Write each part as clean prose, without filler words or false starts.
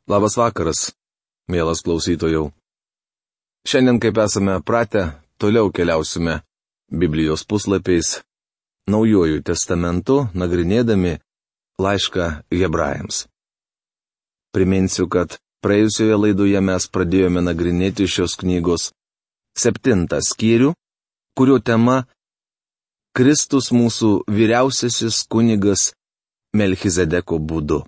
Labas vakaras, mielas klausytojau. Šiandien, kaip esame pratę, toliau keliausime Biblijos puslapiais, Naujuoju testamentu, nagrinėdami laišką Hebrajams. Priminsiu, kad praėjusioje laidoje mes pradėjome nagrinėti šios knygos 7 skyrių, kurio tema Kristus mūsų vyriausiasis kunigas Melchizedeko būdu.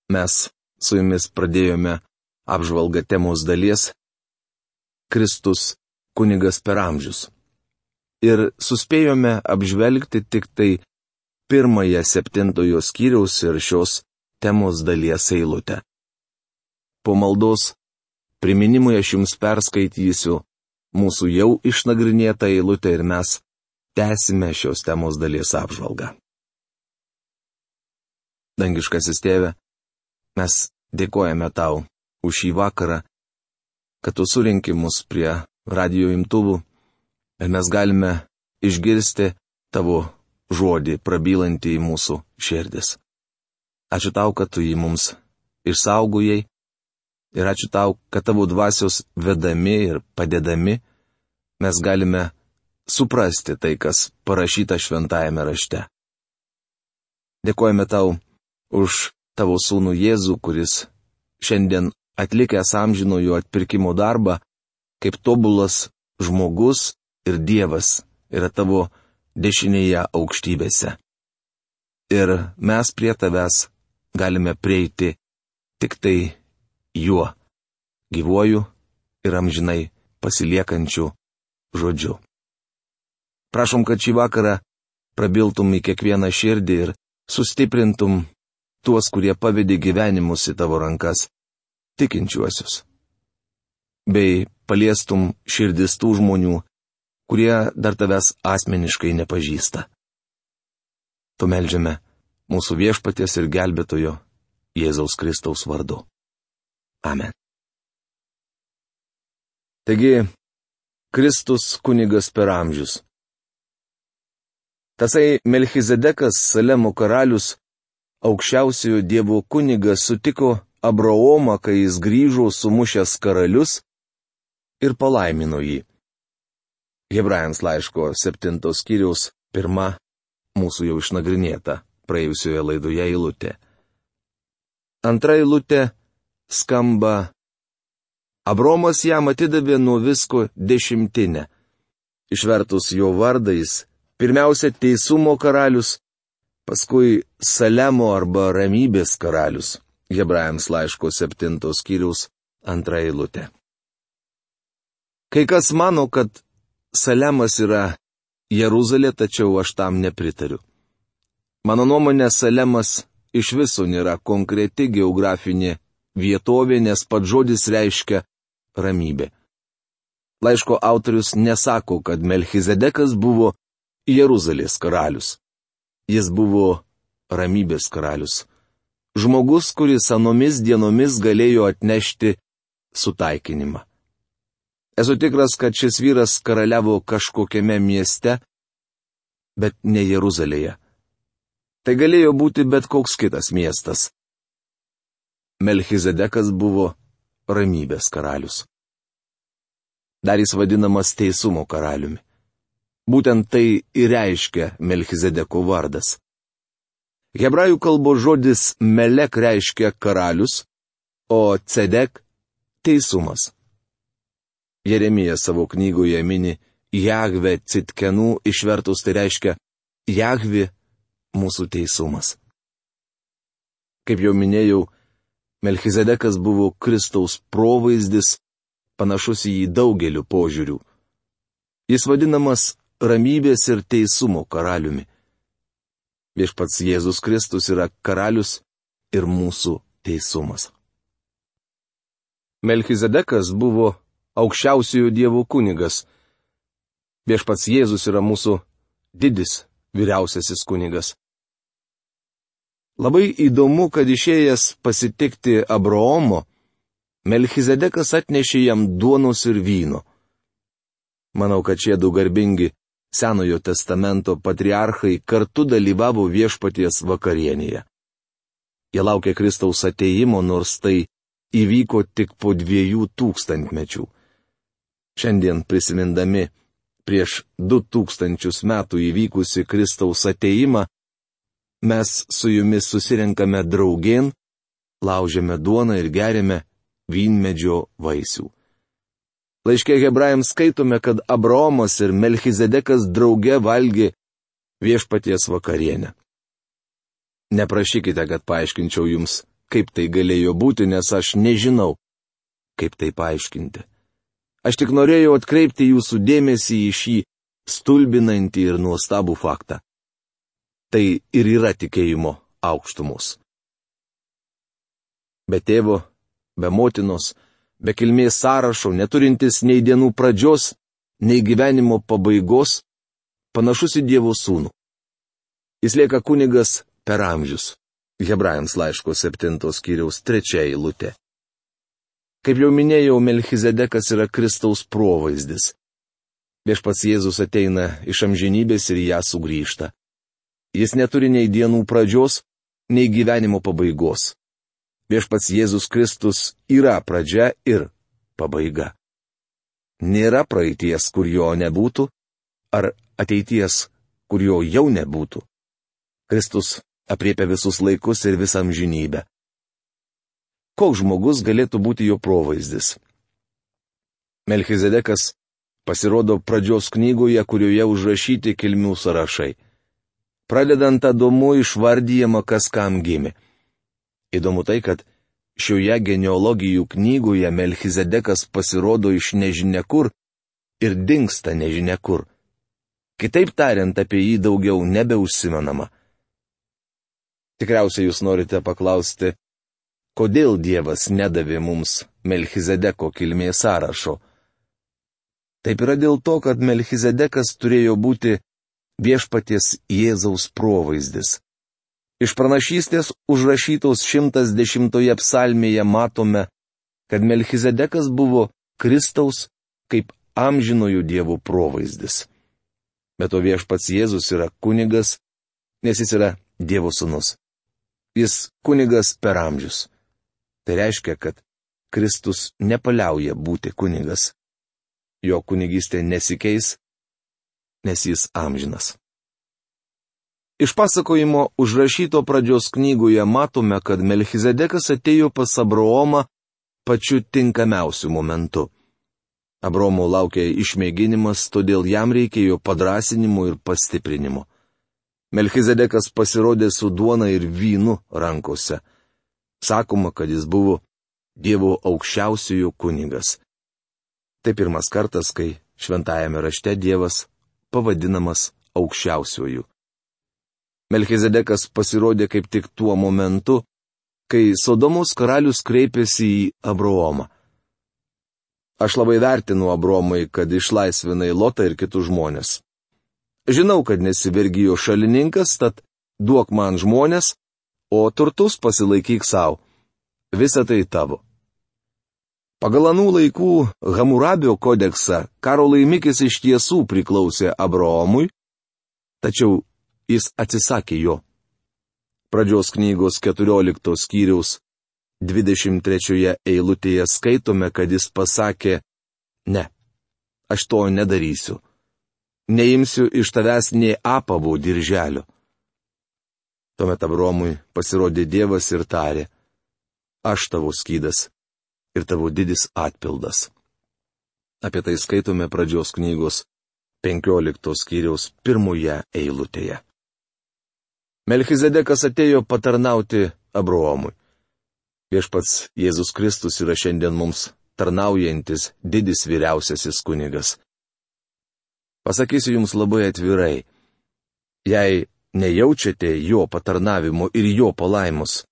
Mes su jumis pradėjome apžvalgą temos dalies Kristus kunigas per amžius. Ir suspėjome apžvelgti tik tai 1 7 skyriaus ir šios temos dalies eilutę. Po maldos priminimui aš jums perskaitysiu mūsų jau išnagrinėtą eilutę ir mes tęsime šios temos dalies apžvalgą. Dangiškasis Tėve, mes dėkojame tau už šį vakarą, kad tu surinki mus prie radijo imtuvų ir mes galime išgirsti tavo žodį prabylantį į mūsų širdis. Ačiū tau, kad tu jį mums išsaugojai ir ačiū tau, kad tavo dvasios vedami ir padedami mes galime suprasti tai, kas parašyta šventajame rašte. Dėkojame tau už tavo sūnų Jėzų, kuris šiandien atlikęs amžinojo atpirkimo darbą, kaip tobulas žmogus ir Dievas yra tavo dešinėje aukštybėse. Ir mes prie tavęs galime prieiti tik tai juo, gyvuoju ir amžinai pasiliekančiu žodžiu. Prašom, kad šį vakarą prabiltum į kiekvieną širdį ir sustiprintum tuos, kurie pavedė gyvenimus į tavo rankas, tikinčiuosius. Bei paliestum širdis tų žmonių, kurie dar tavęs asmeniškai nepažįsta. Tu meldžiame mūsų viešpaties ir gelbėtojo Jėzaus Kristaus vardu. Amen. Taigi, Kristus kunigas per amžius. Tasai Melchizedekas, Salemo karalius, aukščiausiojo Dievo kunigas, sutiko Abraomą, kai jis grįžo sumušęs karalius ir palaimino jį. Hebrajams laiško 7 skyriaus 1 mūsų jau išnagrinėta praėjusioje laidoje eilutė. Antra eilutė skamba: Abraomas jam atidavė nuo visko 10. Išvertus jo vardais, pirmiausia teisumo karalius, paskui Salemo arba ramybės karalius. Hebrajams laiško 7 skyriaus 2 eilutė. Kai kas mano, kad Salemas yra Jeruzalė, tačiau aš tam nepritariu. Mano nuomonė, Salemas iš viso nėra konkreti geografinė vietovė, nes pats žodis reiškia ramybė. Laiško autorius nesako, kad Melchizedekas buvo Jeruzalės karalius. Jis buvo ramybės karalius. Žmogus, kuris anomis dienomis galėjo atnešti sutaikinimą. Esu tikras, kad šis vyras karaliavo kažkokiame mieste, bet ne Jeruzalėje. Tai galėjo būti bet koks kitas miestas. Melchizedekas buvo ramybės karalius. Dar jis vadinamas teisumo karaliumi. Būtent tai ir reiškia Melchizedeko vardas. Hebrajų kalbos žodis melek reiškia karalius, o cedek – teisumas. Jeremija savo knygoje mini Jahve Citkenų, išvertus tai reiškia Jahvi mūsų teisumas. Kaip jau minėjau, Melchizedekas buvo Kristaus provaizdis, panašus į jį daugeliu požiūrių. Jis vadinamas ramybės ir teisumo karaliumi. Viešpats Jėzus Kristus yra karalius ir mūsų teisumas. Melchizedekas buvo aukščiausiojo Dievo kunigas. Viešpats Jėzus yra mūsų didis, vyriausiasis kunigas. Labai įdomu, kad išėjęs pasitikti Abraomo, Melchizedekas atnešė jam duonos ir vyno. Manau, kad šie du garbingi Senojo testamento patriarchai kartu dalyvavo viešpaties vakarienėje. Jie laukė Kristaus ateimo, nors tai įvyko tik po 2000 metų. Šiandien prisimindami prieš 2000 metų įvykusi Kristaus ateimą, mes su jumis susirenkame draugėn, laužiame duoną ir geriame vynmedžio vaisių. Laiške Hebrajams skaitome, kad Abraomas ir Melchizedekas drauge valgė viešpaties vakarienę. Neprašykite, kad paaiškinčiau jums, kaip tai galėjo būti, nes aš nežinau, kaip tai paaiškinti. Aš tik norėjau atkreipti jūsų dėmesį į šį stulbinantį ir nuostabų faktą. Tai ir yra tikėjimo aukštumos. Be tėvo, be motinos, be kilmės sąrašo, neturintis nei dienų pradžios, nei gyvenimo pabaigos, panašus į Dievo sūnų. Jis lieka kunigas per amžius. Hebrajams laiško 7 skyriaus 3 eilutė. Kaip jau minėjau, Melchizedekas yra Kristaus provaizdis. Viešpats Jėzus ateina iš amžinybės ir ją sugrįžta. Jis neturi nei dienų pradžios, nei gyvenimo pabaigos. Viešpats Jėzus Kristus yra pradžia ir pabaiga. Nėra praeities, kur jo nebūtų, ar ateities, kur jo jau nebūtų. Kristus apriepia visus laikus ir visą amžinybę. Koks žmogus galėtų būti jo provaizdis? Melchizedekas pasirodo pradžios knygoje, kurioje užrašyti kilmių sąrašai. Pradedant Adomu išvardyjama, kas kam gimė. Įdomu tai, kad šioje genealogijų knygoje Melchizedekas pasirodo iš nežinia kur ir dingsta nežinia kur. Kitaip tariant, apie jį daugiau nebeužsimenama. Tikriausiai jūs norite paklausti, kodėl Dievas nedavė mums Melchizedeko kilmės sąrašo. Taip yra dėl to, kad Melchizedekas turėjo būti viešpaties Jėzaus provaizdis. Iš pranašystės užrašytos 110 psalmėje matome, kad Melchizedekas buvo Kristaus kaip amžinojo Dievo provaizdis. Bet to viešpats Jėzus yra kunigas, nes jis yra Dievo sūnus. Jis kunigas per amžius. Tai reiškia, kad Kristus nepaliauja būti kunigas. Jo kunigystė nesikeis, nes jis amžinas. Iš pasakojimo užrašyto pradžios knygoje matome, kad Melchizedekas atėjo pas Abraomą pačiu tinkamiausiu momentu. Abraomo laukė išmėginimas, todėl jam reikėjo padrąsinimo ir pastiprinimo. Melchizedekas pasirodė su duona ir vynu rankose. Sakoma, kad jis buvo Dievo aukščiausiojo kunigas. Tai pirmas kartas, kai šventajame rašte Dievas pavadinamas aukščiausiuoju. Melchizedekas pasirodė kaip tik tuo momentu, kai Sodomos karalius kreipėsi į Abraomą. Aš labai vertinu Abraomai, kad išlaisvinai Lotą ir kitus žmonės. Žinau, kad nesi vergijo šalininkas, tad duok man žmonės, o turtus pasilaikyk savo. Visa tai tavo. Pagal anų laikų Hamurabio kodeksą karo laimikis iš tiesų priklausė Abraomui, tačiau jis atsisakė jo. Pradžios knygos 14 skyriaus 23 eilutėje skaitome, kad jis pasakė, ne, aš to nedarysiu. Neimsiu iš tavęs nė apavo dirželio. Tuomet Abraomui pasirodė Dievas ir tarė, aš tavo skydas ir tavo didis atpildas. Apie tai skaitome pradžios knygos 15 skyriaus 1 eilutėje. Melchizedekas atėjo patarnauti Abraomui. Viešpats Jėzus Kristus yra šiandien mums tarnaujantis didis vyriausiasis kunigas. Pasakysiu jums labai atvirai, jei nejaučiate jo patarnavimo ir jo palaimus,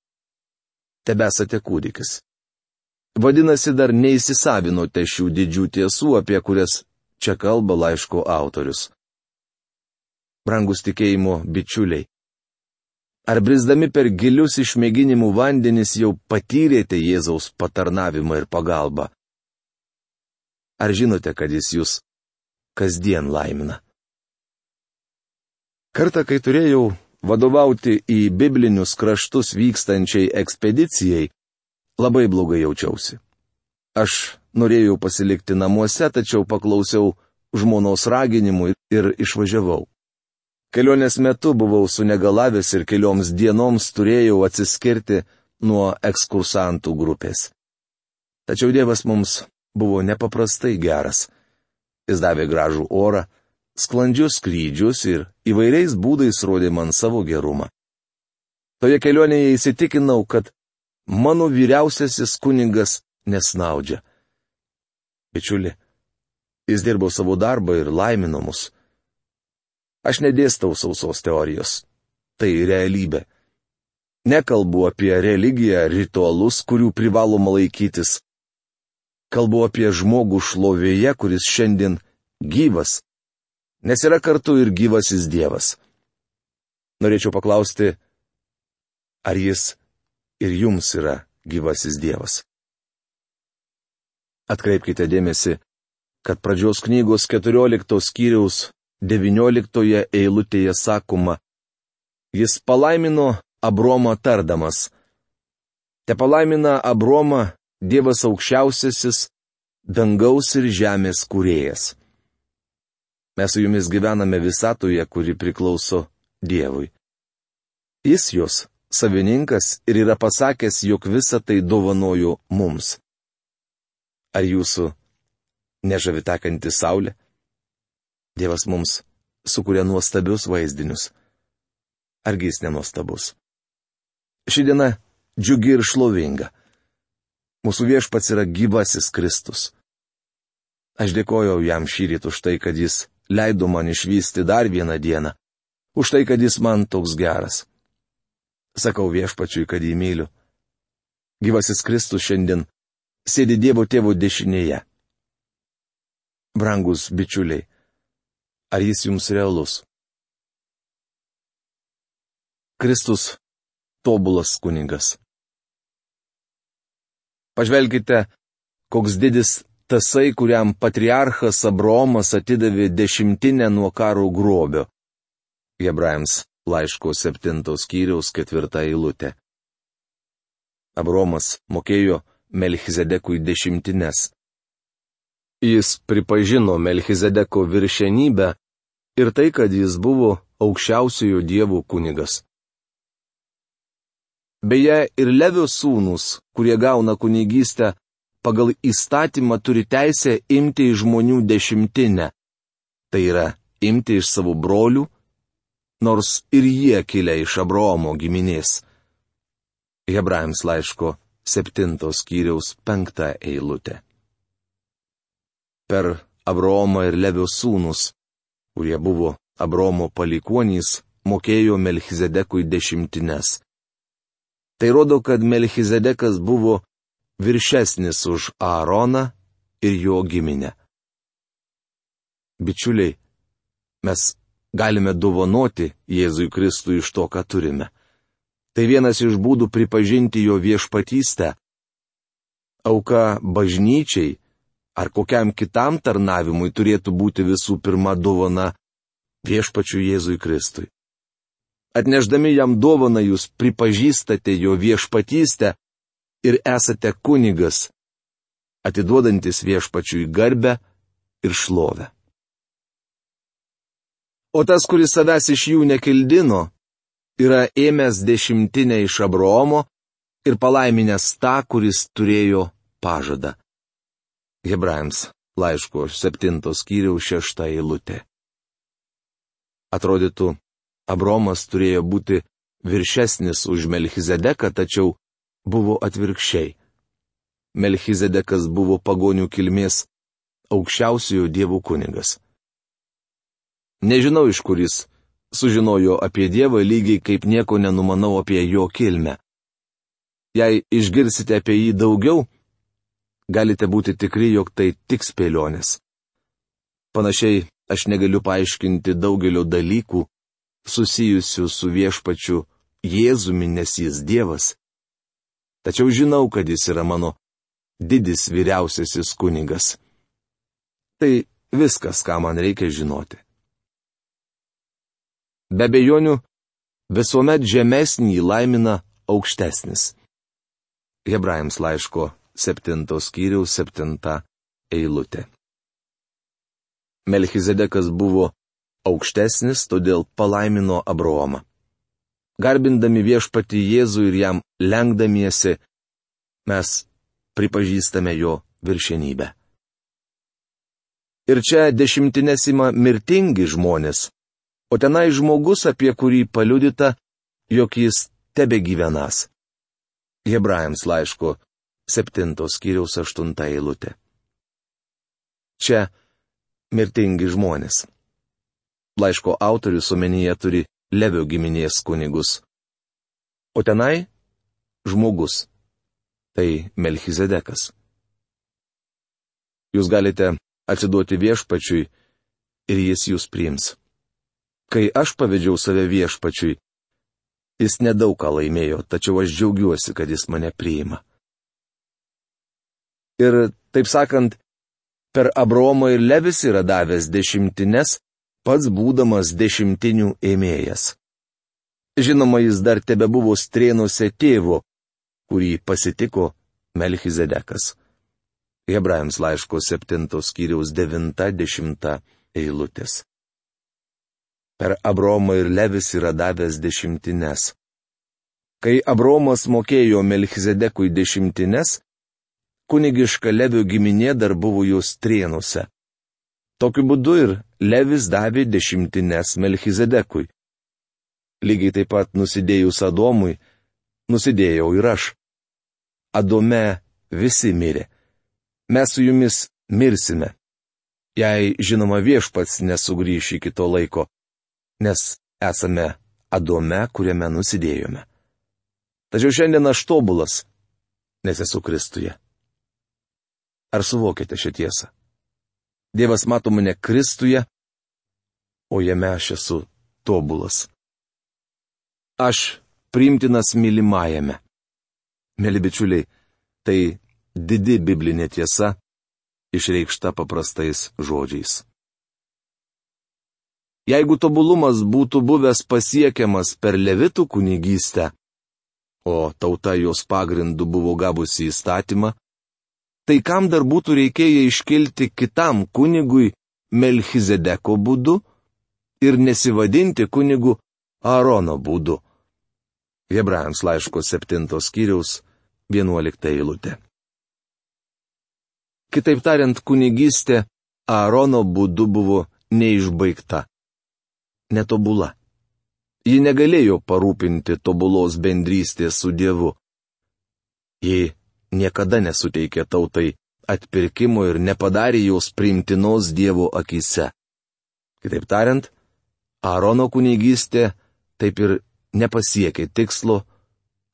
tebesate kūdikis. Vadinasi, dar neįsisavinote šių didžių tiesų, apie kurias čia kalba laiško autorius. Brangus tikėjimo bičiuliai, ar brisdami per gilius išmėginimų vandenis jau patyrėte Jėzaus patarnavimą ir pagalbą? Ar žinote, kad jis jūs kasdien laimina? Kartą, kai turėjau vadovauti į biblinius kraštus vykstančiai ekspedicijai, labai blogai jaučiausi. Aš norėjau pasilikti namuose, tačiau paklausiau žmonos raginimų ir išvažiavau. Kelionės metu buvau sunegalavęs ir kelioms dienoms turėjau atsiskirti nuo ekskursantų grupės. Tačiau Dievas mums buvo nepaprastai geras. Jis davė gražų orą, sklandžius skrydžius ir įvairiais būdais rodė man savo gerumą. Toje kelionėje įsitikinau, kad mano vyriausiasis kunigas nesnaudžia. Bičiuli, jis dirbo savo darbą ir laimino mus. Aš nedėstau sausos teorijos. Tai realybė. Nekalbu apie religiją, ritualus, kurių privaloma laikytis. Kalbu apie žmogų šlovėje, kuris šiandien gyvas, nes yra kartu ir gyvasis Dievas. Norėčiau paklausti, ar jis ir jums yra gyvasis Dievas. Atkreipkite dėmesį, kad pradžios knygos 14 skyriaus 19 eilutėje sakoma, jis palaimino Abromą tardamas. Te palaimina Abromą Dievas aukščiausiasis, dangaus ir žemės kūrėjas. Mes su jumis gyvename visatoje, kuri priklauso Dievui. Jis jos savininkas ir yra pasakęs, jog visą tai dovanojo mums. Ar jūsų nežavi tekanti saulė? Dievas mums sukuria nuostabius vaizdinius. Argi jis nenuostabus? Ši diena džiugi ir šlovinga. Mūsų viešpats yra gyvasis Kristus. Aš dėkojau jam šįryt už tai, kad jis leido man išvysti dar vieną dieną, už tai, kad jis man toks geras. Sakau viešpačiui, kad jį myliu. Gyvasis Kristus šiandien sėdi Dievo Tėvo dešinėje. Brangus bičiuliai, ar jis jums realus? Kristus tobulas kunigas. Pažvelkite, koks didis tasai, kuriam patriarchas Abraomas atidavė 10 nuo karo grobio. Hebrajams laiško 7 skyriaus 4 eilutė. Abraomas mokėjo Melchizedekui 10. Jis pripažino Melchizedeko viršenybę ir tai, kad jis buvo aukščiausiojo Dievo kunigas. Beje, ir Levio sūnūs, kurie gauna kunigystę, pagal įstatymą turi teisę imti iš žmonių 10. Tai yra, imti iš savo brolių, nors ir jie kilę iš Abraomo giminės. Hebrajams laiško 7 skyriaus 5 eilutė. Per Abraomą ir Levio sūnus, kurie buvo Abraomo palikuonys, mokėjo Melchizedekui 10. Tai rodo, kad Melchizedekas buvo viršesnis už Aaroną ir jo giminę. Bičiuliai, mes galime dovanoti Jėzui Kristui iš to, ką turime. Tai vienas iš būdų pripažinti jo viešpatystę. Auka bažnyčiai ar kokiam kitam tarnavimui turėtų būti visų pirma dovana viešpačiui Jėzui Kristui. Atnešdami jam dovaną jūs pripažįstate jo viešpatystę ir esate kunigas, atiduodantis viešpačiui garbę ir šlovę. O tas, kuris savęs iš jų nekildino, yra ėmęs 10 iš Abraomo ir palaiminęs tą, kuris turėjo pažadą. Hebrajams laiško 7 skyriaus 6 eilutė. Atrodytų, Abraomas turėjo būti viršesnis už Melchizedeką, tačiau buvo atvirkščiai. Melchizedekas buvo pagonių kilmės aukščiausiojo Dievo kunigas. Nežinau, iš kur jis sužinojo apie Dievą, lygiai kaip nieko nenumanau apie jo kilmę. Jei išgirsite apie jį daugiau, galite būti tikri, jog tai tik spėlionės. Panašiai, aš negaliu paaiškinti daugelio dalykų susijusių su viešpačiu Jėzumi, nes jis Dievas. Tačiau žinau, kad jis yra mano didis vyriausiasis kunigas. Tai viskas, ką man reikia žinoti. Be abejonių, visuomet žemesnį laimina aukštesnis. Hebrajams laiško 7 skyriaus 7 eilutė. Melchizedekas buvo aukštesnis, todėl palaimino Abraomą. Garbindami viešpatį Jėzų ir jam lenkdamiesi, mes pripažįstame jo viršenybę. Ir čia dešimtines ima mirtingi žmonės, o tenai žmogus, apie kurį paliudyta, jog jis tebegyvenas. Hebrajams laiško 7 skyriaus 8 eilutė. Čia mirtingi žmonės. Laiško autorius omenyje turi Levio giminės kunigus. O tenai žmogus. Tai Melchizedekas. Jūs galite atsiduoti viešpačiui ir jis jūs priims. Kai aš pavedžiau save viešpačiui, jis nedaug ką laimėjo, tačiau aš džiaugiuosi, kad jis mane priima. Ir, taip sakant, per Abraomą ir Levis yra davęs dešimtines, pats būdamas dešimtinių ėmėjas. Žinoma, jis dar tebebuvo strėnuose tėvo, kurį pasitiko Melchizedekas. Hebrajams laiško 7 skyriaus 9-10 eilutės. Per Abraomą ir Levis yra davęs dešimtines. Kai Abraomas mokėjo Melchizedekui dešimtines, kunigiška Levio giminė dar buvo jos strėnuose. Tokiu būdu ir Levis davė dešimtines Melchizedekui. Lygiai taip pat nusidėjus Adomui, nusidėjau ir aš. Adome visi mirė. Mes su jumis mirsime. Jei, žinoma, viešpats nesugrįš iki to laiko, nes esame Adome, kuriame nusidėjome. Tačiau šiandien aš tobulas, nes esu Kristuje. Ar suvokite šią tiesą? Dievas mato mane Kristuje, o jame aš esu tobulas. Aš priimtinas mylimajame. Mėly bičiuliai, tai didi biblinė tiesa, išreikšta paprastais žodžiais. Jeigu tobulumas būtų buvęs pasiekiamas per levitų kunigystę, o tauta jos pagrindu buvo gavusi įstatymą, tai kam dar būtų reikėję iškilti kitam kunigui Melchizedeko būdu ir nesivadinti kunigu Aarono būdu. Hebrajams laiško 7 skyriaus 11 eilutė. Kitaip tariant, kunigystė Aarono būdu buvo neišbaigta, netobula. Ji negalėjo parūpinti tobulos bendrystės su Dievu. Ji niekada nesuteikė tautai atpirkimo ir nepadarė jos priimtinos Dievo akyse. Kitaip tariant, Aarono kunigystė taip ir nepasiekė tikslo,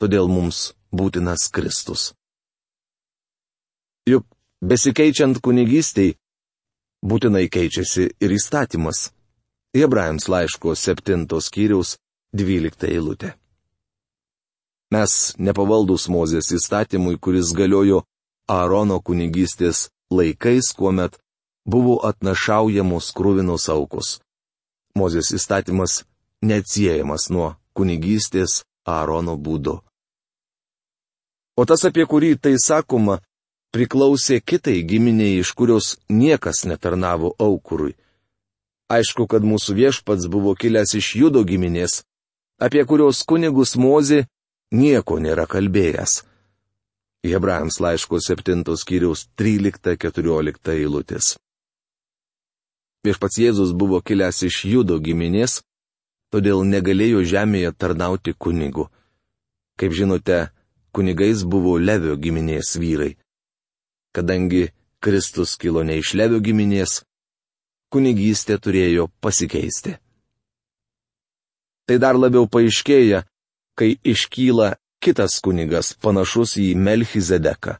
todėl mums būtinas Kristus. Juk besikeičiant kunigystei, būtinai keičiasi ir įstatymas. Hebrajams laiško 7 skyriaus 12 eilutė. Mes nepavaldus Mozės įstatymui, kuris galiojo Aarono kunigystės laikais, kuomet buvo atnašaujamos kruvinos aukos. Mozės įstatymas neatsiejamas nuo kunigystės Aarono būdu. O tas, apie kurį tai sakoma, priklausė kitai giminiai, iš kurios niekas netarnavo aukurui. Aišku, kad mūsų viešpats buvo kilęs iš Judo giminės, apie kurios kunigus Mozė nieko nėra kalbėjęs. Hebrajams laiško 7 skyriaus 13-14 eilutės. Viešpats Jėzus buvo kilęs iš Judo giminės, todėl negalėjo žemėje tarnauti kunigu. Kaip žinote, kunigais buvo Levio giminės vyrai. Kadangi Kristus kilo ne iš Levio giminės, kunigystė turėjo pasikeisti. Tai dar labiau paaiškėja, kai iškyla kitas kunigas panašus į Melchizedeką.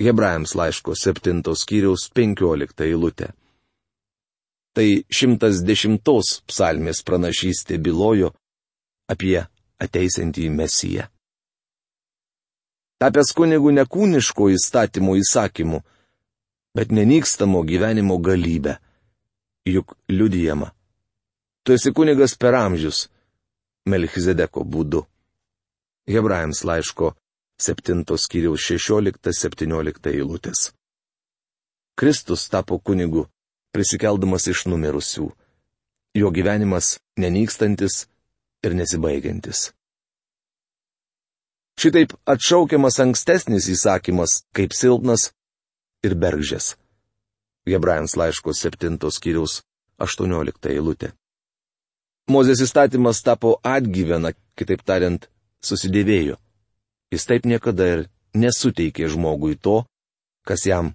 Hebrajams laiško 7 skyriaus 15 eilutė. Tai 110 psalmės pranašystė bylojo apie ateisiantį Mesiją. Tapęs kunigu ne kūniško įstatymo įsakymu, bet nenykstamo gyvenimo galybę. Juk liudijama. Tu esi kunigas per amžius. Melchizedeko būdu. Hebrajams laiško 7 skyriaus 16-17 eilutės. Kristus tapo kunigu, prisikeldamas iš numirusių. Jo gyvenimas nenykstantis ir nesibaigiantis. Šitaip atšaukiamas ankstesnis įsakymas kaip silpnas ir bergždžias. Hebrajams laiško 7 skyriaus 18 eilutė. Mozės įstatymas tapo atgyvena, kitaip tariant, susidėvėjo. Jis taip niekada ir nesuteikė žmogui to, kas jam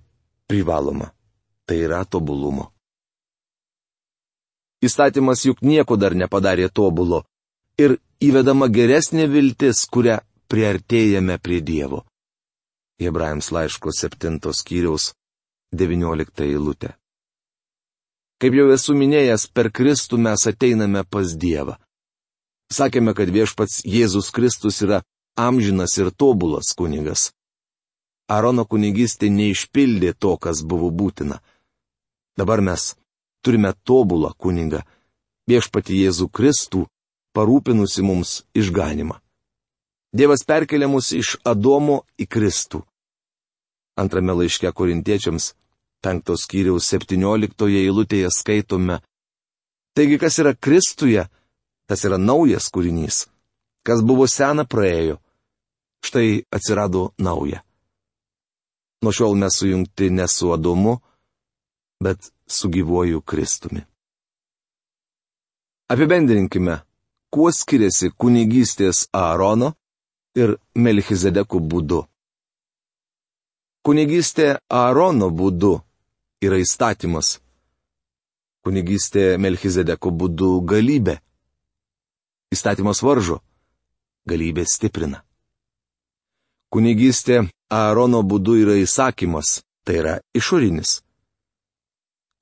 privaloma. Tai yra tobulumo. Įstatymas juk nieko dar nepadarė tobulo ir įvedama geresnė viltis, kurią priartėjame prie Dievo. Hebrajams laiško 7 skyriaus 19 eilutė. Kaip jau esu minėjęs, per Kristų mes ateiname pas Dievą. Sakėme, kad viešpats Jėzus Kristus yra amžinas ir tobulas kunigas. Aarono kunigystė neišpildė to, kas buvo būtina. Dabar mes turime tobulą kunigą, viešpatį Jėzų Kristų, parūpinusi mums išganimą. Dievas perkelia mus iš Adomo į Kristų. Antrame laiške Korintiečiams 5 skyriaus 17 eilutėje skaitome: Taigi, kas yra Kristuje, tas yra naujas kūrinys. Kas buvo sena, praėjo. Štai atsirado nauja. Nuo šiol mes sujungti ne su Adomu, bet su gyvuoju Kristumi. Apibendrinkime, kuo skiriasi kunigystės Aarono ir Melchizedeko būdu. Kunigystė Aarono būdu yra įstatymas. Kunigystė Melchizedeko būdu galybė. Įstatymas varžo, galybė stiprina. Kunigystė Aarono būdu yra įsakymas, tai yra išorinis.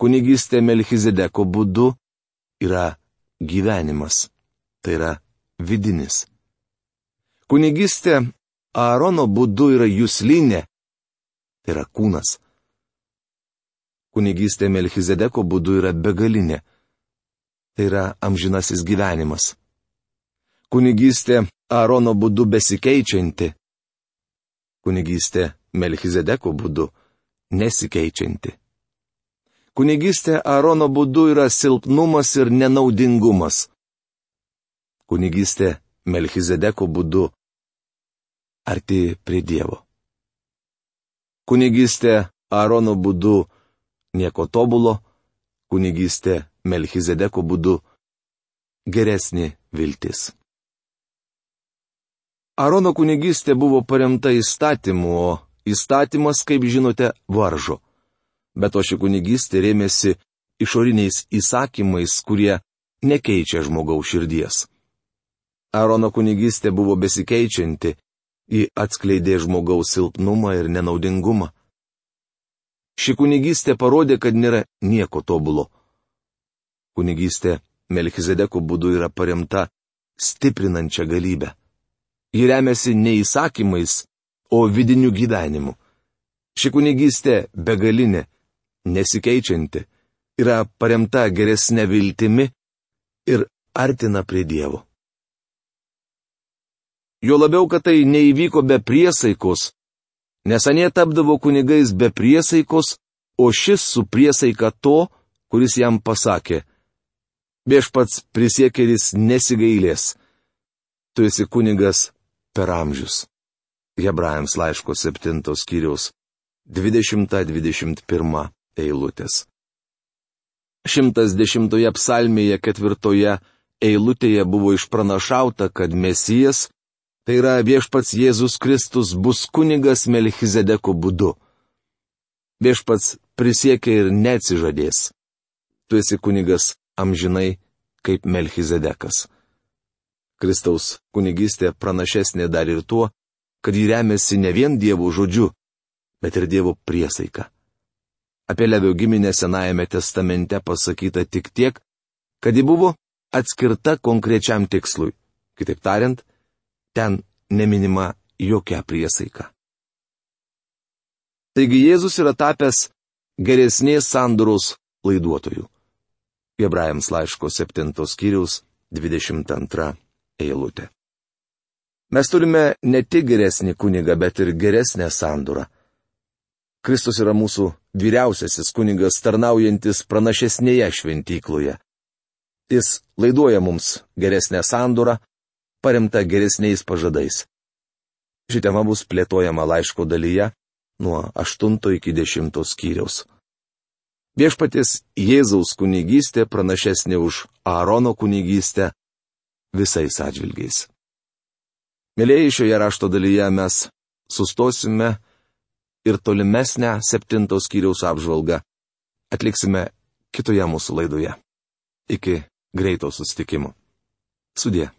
Kunigystė Melchizedeko būdu yra gyvenimas, tai yra vidinis. Kunigystė Aarono būdu yra juslinė, tai yra kūnas. Kunigystė Melchizedeko būdu yra begalinė, tai yra amžinasis gyvenimas. Kunigystė Aarono būdu besikeičianti, kunigystė Melchizedeko būdu nesikeičianti. Kunigystė Aarono būdu yra silpnumas ir nenaudingumas. Kunigystė Melchizedeko būdu arti prie Dievo. Kunigystė Aarono būdu nieko tobulo, kunigystė Melchizedeko būdu geresnė viltis. Aarono kunigystė buvo paremta įstatymu, o įstatymas, kaip žinote, varžo. Bet to ši kunigystė rėmėsi išoriniais įsakymais, kurie nekeičia žmogaus širdies. Aarono kunigystė buvo besikeičianti, ji atskleidė žmogaus silpnumą ir nenaudingumą. Ši kunigystė parodė, kad nėra nieko tobulo. Kunigystė Melchizedeko būdu yra paremta stiprinančia galybė. Ji remiasi ne įsakymais, o vidiniu gyvenimu. Ši kunigystė begalinė, nesikeičianti, yra paremta geresnė viltimi ir artina prie Dievo. Jo labiau, kad tai neįvyko be priesaikos, nes anie tapdavo kunigais be priesaikos, o šis su priesaika to, kuris jam pasakė: Viešpats prisiekėlis nesigailės, tu esi kunigas per amžius. Hebrajams laiško 7 skyriaus 20-21 eilutės. 110 psalmėje 4 eilutėje buvo išpranašauta, kad Mesijas, tai yra viešpats Jėzus Kristus, bus kunigas Melchizedeko būdu. Viešpats prisiekė ir neatsižadės. Tu esi kunigas amžinai kaip Melchizedekas. Kristaus kunigystė pranašesnė dar ir tuo, kad ji remiasi ne vien Dievo žodžiu, bet ir Dievo priesaika. Apie Levio giminę Senajame testamente pasakyta tik tiek, kad ji buvo atskirta konkrečiam tikslui. Kitaip tariant, ten neminima jokia priesaika. Taigi Jėzus yra tapęs geresnės sandoros laiduotojų. Hebrajams laiško 7 skyriaus 22 eilutė. Mes turime ne tik geresnį kunigą, bet ir geresnę sandūrą. Kristus yra mūsų vyriausiasis kunigas, tarnaujantis pranašesnėje šventykloje. Jis laiduoja mums geresnę sandūrą, paremta geresniais pažadais. Ši tema bus plėtojama laiško dalyje nuo 8 iki 10 skyriaus. Viešpaties Jėzaus kunigystė pranašesnė už Aarono kunigystę visais atžvilgiais. Mėlyjeji, šioje rašto dalyje mes sustosime ir tolimesnę 7 skyriaus apžvalgą atliksime kitoje mūsų laidoje. Iki greito susitikimo. Sudie.